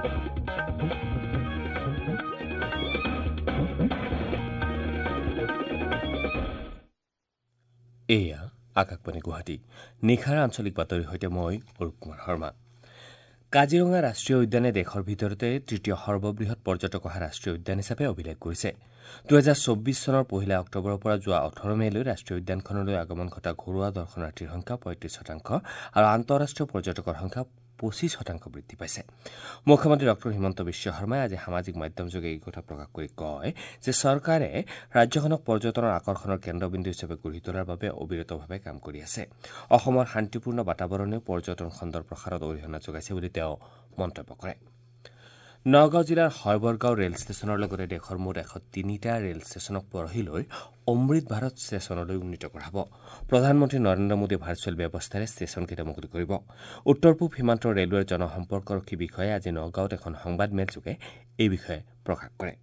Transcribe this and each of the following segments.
এয়া আকাশবাণী গুৱাহাটী। নিশাৰ আঞ্চলিক বাতৰিৰ সৈতে মই অৰূপ কুমাৰ শৰ্মা। কাজিৰঙা ৰাষ্ট্ৰীয় উদ্যানে দেশৰ ভিতৰতে তৃতীয় সৰ্ববৃহৎ পৰ্যটক অহা ৰাষ্ট্ৰীয় উদ্যান হিচাপে অভিলেখ কৰিছে। ২০২৪ চনৰ ১ অক্টোবৰৰ পৰা যোৱা ১৮ মে'লৈ ৰাষ্ট্ৰীয় উদ্যানখনলৈ আগমন ঘটা ঘৰুৱা দৰ্শনাৰ্থীৰ সংখ্যা ৩৫% আৰু আন্তঃৰাষ্ট্ৰীয় পৰ্যটকৰ সংখ্যা ২৫% বৃদ্ধি পাইছে। মুখ্যমন্ত্ৰী ডঃ হিমন্ত বিশ্ব শৰ্মাই আজি সামাজিক মাধ্যমযোগে এই কথা প্ৰকাশ কৰি কয় যে চৰকাৰে ৰাজ্যখনক পৰ্যটনৰ আকৰ্ষণৰ কেন্দ্ৰবিন্দু হিচাপে গঢ়ি তোলাৰ বাবে অবিৰতভাৱে কাম কৰি আছে। অসমৰ শান্তিপূৰ্ণ বাতাবৰণেও পৰ্যটন খণ্ডৰ প্ৰসাৰত অৰিহণা যোগাইছে বুলি তেওঁ মন্তব্য কৰে। নগাঁও জিলাৰ হয়বৰগাঁও ৰেল ষ্টেচনৰ লগতে দেশৰ মুঠ ১০৩টা ৰেল ষ্টেচনক পৰহিলৈ অমৃত ভাৰত ষ্টেচনলৈ উন্নীত কৰা হ'ব। প্ৰধানমন্ত্ৰী নৰেন্দ্ৰ মোদীয়ে ভাৰ্চুৱেল ব্যৱস্থাৰে ষ্টেচনকেইটা মুকলি কৰিব। উত্তৰ পূব সীমান্ত ৰেলৱেৰ জনসম্পৰ্কৰক্ষী বিষয়াই আজি নগাঁৱত এখন সংবাদমেলযোগে এই বিষয়ে প্ৰকাশ কৰে।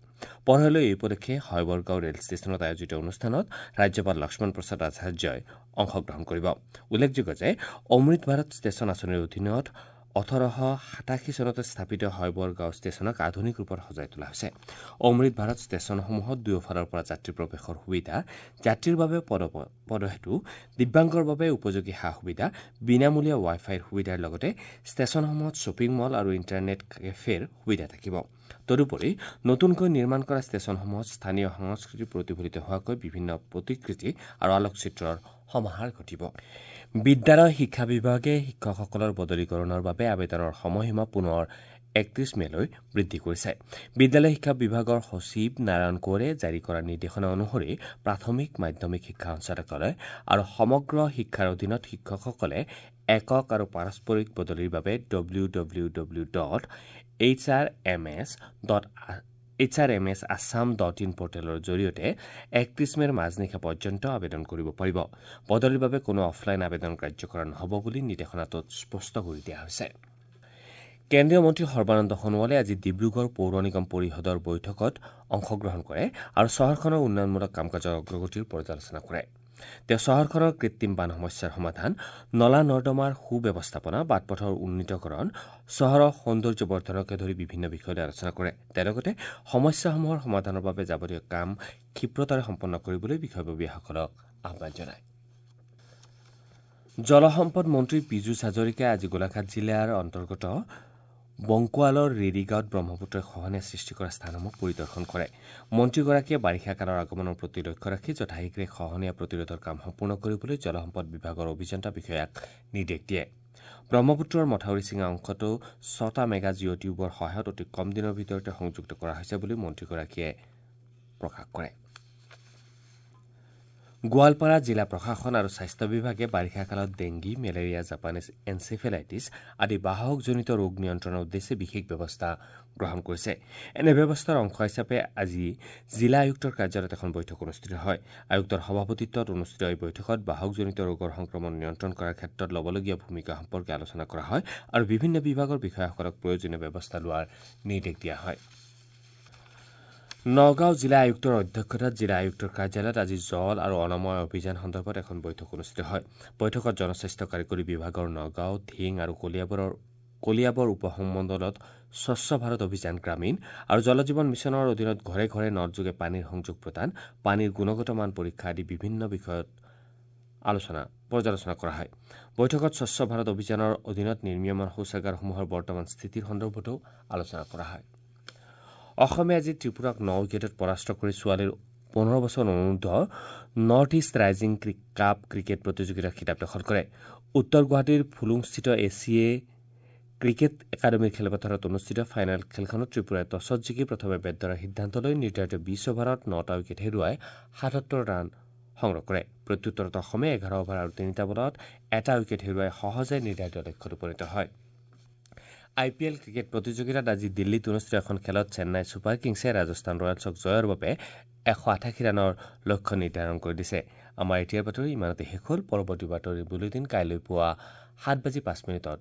পৰহিলৈ এই উপলক্ষে হয়বৰগাঁও ৰেল ষ্টেচনত আয়োজিত অনুষ্ঠানত ৰাজ্যপাল লক্ষ্মণ প্ৰসাদ আচাৰ্যই অংশগ্ৰহণ কৰিব। উল্লেখযোগ্য যে অমৃত ভাৰত ষ্টেচন আঁচনিৰ অধীনত ১৮৮৭ চনতে স্থাপিত হয়বৰগাঁও ষ্টেচনক আধুনিক ৰূপত সজাই তোলা হৈছে। অমৃত ভাৰত ষ্টেচনসমূহত দুয়োফালৰ পৰা যাত্ৰী প্ৰৱেশৰ সুবিধা, যাত্ৰীৰ বাবে পদহেতু, দিব্যাংগৰ বাবে উপযোগী সা সুবিধা, বিনামূলীয়া ৱাই ফাইৰ সুবিধাৰ লগতে ষ্টেচনসমূহত শ্বপিং মল আৰু ইণ্টাৰনেট কেফেৰ সুবিধা থাকিব। তদুপৰি নতুনকৈ নিৰ্মাণ কৰা ষ্টেচনসমূহত স্থানীয় সংস্কৃতি প্ৰতিফলিত হোৱাকৈ বিভিন্ন প্ৰতিকৃতি আৰু আলোকচিত্ৰৰ সমাহাৰ ঘটিব। বিদ্যালয় শিক্ষা বিভাগে শিক্ষকসকলৰ বদলীকৰণৰ বাবে আবেদনৰ সময়সীমা পুনৰ ৩১ মে'লৈ বৃদ্ধি কৰিছে। বিদ্যালয় শিক্ষা বিভাগৰ সচিব নাৰায়ণ কোঁৱৰে জাৰি কৰা নিৰ্দেশনা অনুসৰি প্ৰাথমিক, মাধ্যমিক শিক্ষা সঞ্চালকালয় আৰু সমগ্ৰ শিক্ষাৰ অধীনত শিক্ষকসকলে একক আৰু পাৰস্পৰিক বদলিৰ বাবে W W W dot H R M S Assam dot in পৰ্টেলৰ জৰিয়তে ৩১ মে'ৰ মাজনিশা পৰ্যন্ত আবেদন কৰিব পাৰিব। বদলিৰ বাবে কোনো অফলাইন আবেদন গ্ৰাহ্য কৰা নহ'ব বুলি নিৰ্দেশনাটোত স্পষ্ট কৰি দিয়া হৈছে। কেন্দ্ৰীয় মন্ত্ৰী সৰ্বানন্দ সোণোৱালে আজি ডিব্ৰুগড় পৌৰ নিগম পৰিষদৰ বৈঠকত অংশগ্ৰহণ কৰে আৰু চহৰখনৰ উন্নয়নমূলক কাম কাজৰ অগ্ৰগতিৰ পৰ্যালোচনা কৰে। তেওঁ চহৰখনৰ কৃত্ৰিম বান সমস্যাৰ সমাধান, নলা নৰ্দমাৰ সুব্যৱস্থাপনা, বাট-পথৰ উন্নীতকৰণ, চহৰৰ সৌন্দৰ্য বৰ্ধনকে ধৰি বিভিন্ন বিষয়লৈ আলোচনা কৰে। তেওঁ লগতে সমস্যাসমূহৰ সমাধানৰ বাবে যাৱতীয় কাম ক্ষিপ্ৰতাৰে সম্পন্ন কৰিবলৈ বিষয়ববীয়াসকলক আহ্বান জনায়। জলসম্পদ মন্ত্ৰী পীযুষ হাজৰিকাই আজি গোলাঘাট জিলাৰ অন্তৰ্গত বংকোৱালৰ ৰেডিগাঁৱত ব্ৰহ্মপুত্ৰই খহনীয়া সৃষ্টি কৰা স্থানসমূহ পৰিদৰ্শন কৰে। মন্ত্ৰীগৰাকীয়ে বাৰিষা কালৰ আগমনৰ প্ৰতি লক্ষ্য ৰাখি যথাশীঘ্ৰে খহনীয়া প্ৰতিৰোধৰ কাম সম্পূৰ্ণ কৰিবলৈ জলসম্পদ বিভাগৰ অভিযন্তা বিষয়াক নিৰ্দেশ দিয়ে। ব্ৰহ্মপুত্ৰৰ মথাউৰি ছিঙা অংশটো ৬টা মেগা জিঅ' টিউবৰ সহায়ত অতি কম দিনৰ ভিতৰতে সংযুক্ত কৰা হৈছে বুলি মন্ত্ৰীগৰাকীয়ে প্ৰকাশ কৰে। গোৱালপাৰা জিলা প্ৰশাসন আৰু স্বাস্থ্য বিভাগে বাৰিষা কালত ডেংগি, মেলেৰিয়া, জাপানীজ এনচেফেলাইটিছ আদি বাহকজনিত ৰোগ নিয়ন্ত্ৰণৰ উদ্দেশ্যে বিশেষ ব্যৱস্থা গ্ৰহণ কৰিছে। এনে ব্যৱস্থাৰ অংশ হিচাপে আজি জিলা আয়ুক্তৰ কাৰ্যালয়ত এখন বৈঠক অনুষ্ঠিত হয়। আয়ুক্তৰ সভাপতিত্বত অনুষ্ঠিত এই বৈঠকত বাহকজনিত ৰোগৰ সংক্ৰমণ নিয়ন্ত্ৰণ কৰাৰ ক্ষেত্ৰত ল'বলগীয়া ভূমিকা সম্পৰ্কে আলোচনা কৰা হয় আৰু বিভিন্ন বিভাগৰ বিষয়াসকলক প্ৰয়োজনীয় ব্যৱস্থা লোৱাৰ নিৰ্দেশ দিয়া হয়। নগাঁও জিলা আয়ুক্তৰ অধ্যক্ষতাত জিলা আয়ুক্তৰ কাৰ্যালয়ত আজি জল আৰু অনাময় অভিযান সন্দৰ্ভত এখন বৈঠক অনুষ্ঠিত হয়। বৈঠকত জনস্বাস্থ্য কাৰিকৰী বিভাগৰ নগাঁও, ধিং আৰু কলিয়াবৰ উপসংমণ্ডলত স্বচ্ছ ভাৰত অভিযান গ্ৰামীণ আৰু জল জীৱন মিছনৰ অধীনত ঘৰে ঘৰে নলযোগে পানীৰ সংযোগ প্ৰদান, পানীৰ গুণগত মান পৰীক্ষা আদি বিভিন্ন বিষয়ত পৰ্যালোচনা কৰা হয়। বৈঠকত স্বচ্ছ ভাৰত অভিযানৰ অধীনত নিৰ্মীয়মান শৌচাগাৰসমূহৰ বৰ্তমান স্থিতিৰ সন্দৰ্ভতো আলোচনা কৰা হয়। অসমে আজি ত্ৰিপুৰাক ৯ উইকেটত পৰাস্ত কৰি ছোৱালীৰ ১৫ বছৰ অনুৰ্ধ North East Rising Cup cricket প্ৰতিযোগিতাৰ খিতাপ দখল কৰে। উত্তৰ গুৱাহাটীৰ ফুলুংস্থিত এ চি এ ক্ৰিকেট একাডেমীৰ খেলপথাৰত অনুষ্ঠিত ফাইনেল খেলখনত ত্ৰিপুৰাই টছত জিকি প্ৰথমে বেট ধৰাৰ সিদ্ধান্ত লৈ নিৰ্ধাৰিত ২০ অভাৰত ৯টা উইকেট হেৰুৱাই ৭৭ ৰান সংগ্ৰহ কৰে। প্ৰত্যুত্তৰত অসমে ১১ অভাৰ আৰু ৩টা বলত ১টা উইকেট হেৰুৱাই সহজে নিৰ্ধাৰিত লক্ষ্যত উপনীত হয়। আই পি এল ক্ৰিকেট প্ৰতিযোগিতাত আজি দিল্লীত অনুষ্ঠিত এখন খেলত চেন্নাই ছুপাৰ কিংছে ৰাজস্থান ৰয়েলছক জয়ৰ বাবে ১৮৮ ৰানৰ লক্ষ্য নিৰ্ধাৰণ কৰি দিছে। আমাৰ এতিয়াৰ বাতৰি ইমানতে শেষ হ'ল। পৰৱৰ্তী বাতৰি বুলেটিন কাইলৈ পুৱা ৭:০৫।